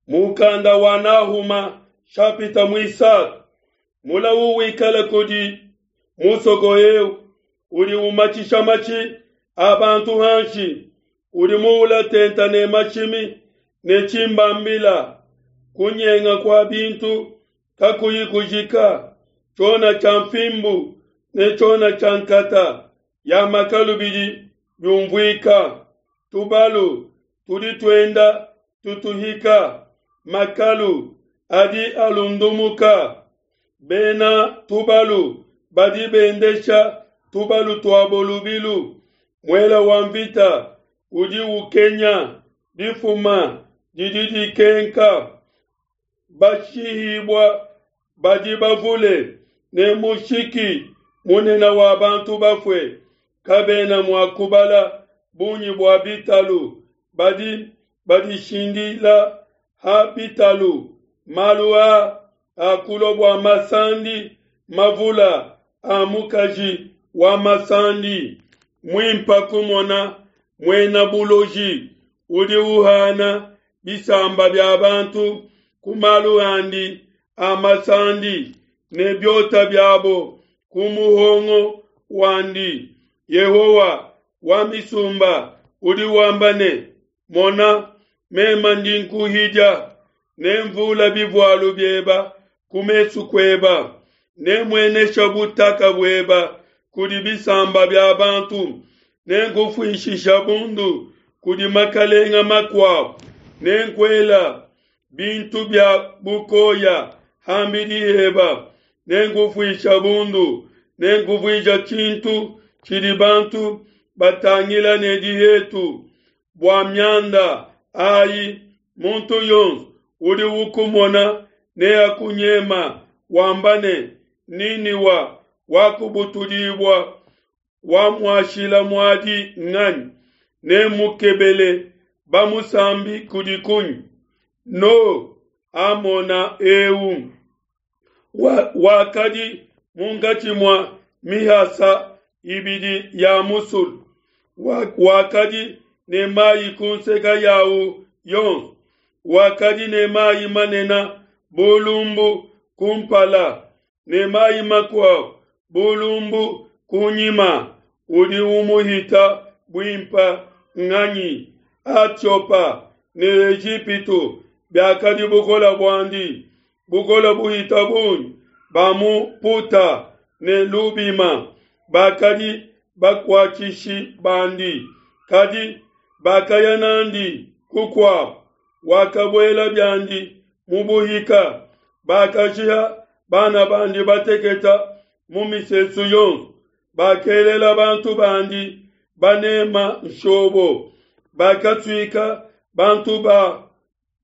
Mukanda wa Nahuma shapita muisatu. Mulawu wikale kudi musoko eu udi umatshisha matshi a bantu hanshi, udi muula tenta ne mashimi ne tshimbambila, kunyenga kua bintu kakuyi kujika, tshiona tshia mfimbu ne tshiona tshia nkata ya makalu bidi biumvuika. Tubalu tudi tuenda tutuhika, makalu adi alundumuka. Bena tubalu badi bendesha tubalu tuabo lubilu. Muela wa mvita udi ukenya, difuma didi dikenka. Bashihibua badi bavule, ne mushiki munene wa bantu bafue. Kabena mua kubala bungi bua bitalu, badi badishindila ha bitalu. Malu aa akulua bua masandi mavula a mukaji wa masandi. Muimpa kumona muena buloji udi uhana bisamba bia bantu ku malu andi a masandi ne biota biabo ku muhongo wandi. Yehowa wa misumba udi wamba ne, Mona, mema ndi nkuhidia, nemvula bivualu bieba ku mesu kueba, nemuenesha butaka bueba kudi bisamba bia bantu, nenkufuishisha bundu kudi makalenga makuabo, nenkuela bintu bia bukoya ham'bidi heba, nenkufuisha bundu, nenkuvuija tshintu tshidi bantu batangila ne dihetu. Bua mianda ayi, muntu yonso udi ukumona neakunyema, wamba ne, Niniwa wakubutudibua, wamuashila muadi nganyi? Nemukebele bamusambi kudi kunyi? No Amona eu wakadi munkatshi mua mihasa ibidi ya musulu, wakadi ne mayi ku nseke yawu yonso, wakadi ne mayi manene bu lumbu kumpala, ne mayi makuabo bu lumbu kunyima. Udi umuhita buimpe nganyi? Atiopa ne Ejipitu biakadi bukole buandi, bukole buhita bungi. Ba mu Puta ne Lubima bakadi bakuatshishi bandi, kadi bakaya n'andi kukuabo. Wakabuela biandi mu buhika, bakashiha bana bandi bateketa mu misesu yonso, bakelela bantu bandi banema nshobo, bakasuika bantu ba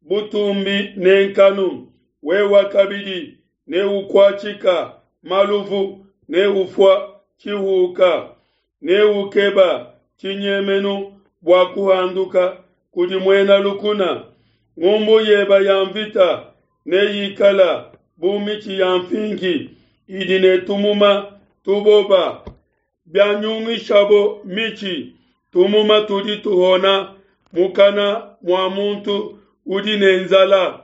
butumbi ne nkanu. Wewe kabidi neukuatshika maluvu, neufua tshihuka, neukeba tshinyemenu bua kuhanduka kudi muena lukuna. Ngumbu yeba ya mvita neyikala bu mitshi ya mfingi idi ne tumuma tuboba. Bianyungishabo mitshi, tumuma tudi tuhona mukana mua muntu udi ne nzala.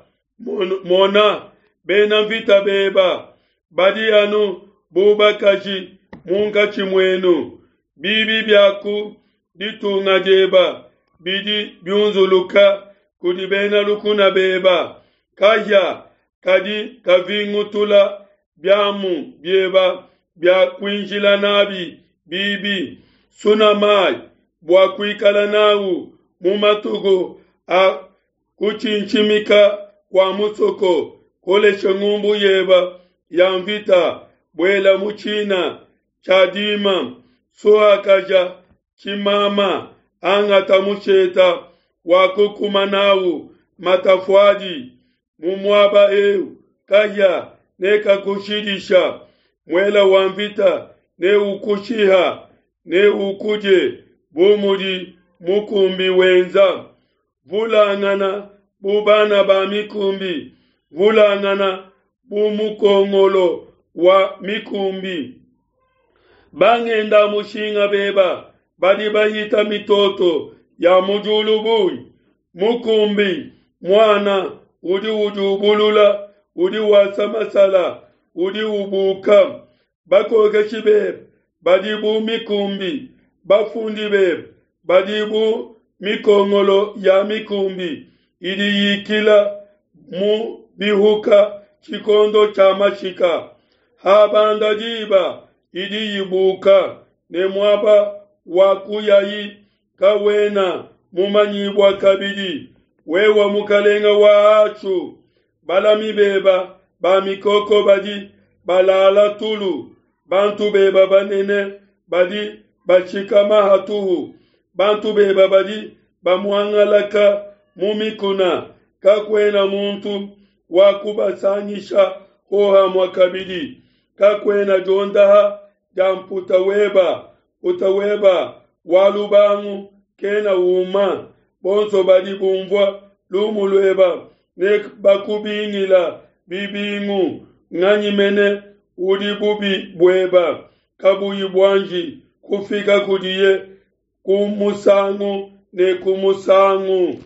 Mona, bena mvita beba badi anu bu bakaji munkatshi muenu. Bibi bia ku ditunga dieba bidi biunzuluka kudi bena lukuna beba. Kahia kadi kavingutula biamu bieba bia kuinjila nabi bibi. Suna mayi bua kuikala nawu mu matuku a kutshintshimika kua musoko. Kolesha ngumbu yeba ya mvita, buela mu tshina tshia dima, suakaja tshimama, angata musheta wa kukuma nawu matafuadi. Mu muaba eu kahia nekakushidisha, muela wa mvita neukushiha, neukudie bu mudi mukumbi wenza. Vulangana bu bana ba mikumbi, vulangana bu mukongolo wa mikumbi. Bangenda mushinga beba badi bahita mitoto ya mu diulu bungi. Mukumbi muana Udi udiubulula, udi wasa masala, udi ubuka. Bakokeshi bebe badi bu mikumbi, bafundi bebe badi bu mikongolo ya mikumbi idi yikila mu bihuka tshikondo tshia mashika. Habanda diba idi ibuka, ne muaba wa kuyayi kawena mumanyibua kabidi. Wewe mukalenga wa Ashu, balami beba ba mikoko badi balala tulu, bantu beba banene badi bashikama hatuhu, bantu beba badi bamuangalaka mu mikuna, kakuena muntu wa kubasangisha hohamue kabidi, kakuena diondaha dia mputa weba, mputa weba wa lubangu kena uma. Bonso badi bumvua lumu lueba ne bakubingila bibingu, nganyi mene udi bubi bueba kabuyi buanji kufika kudiye ku musangu ne ku musangu?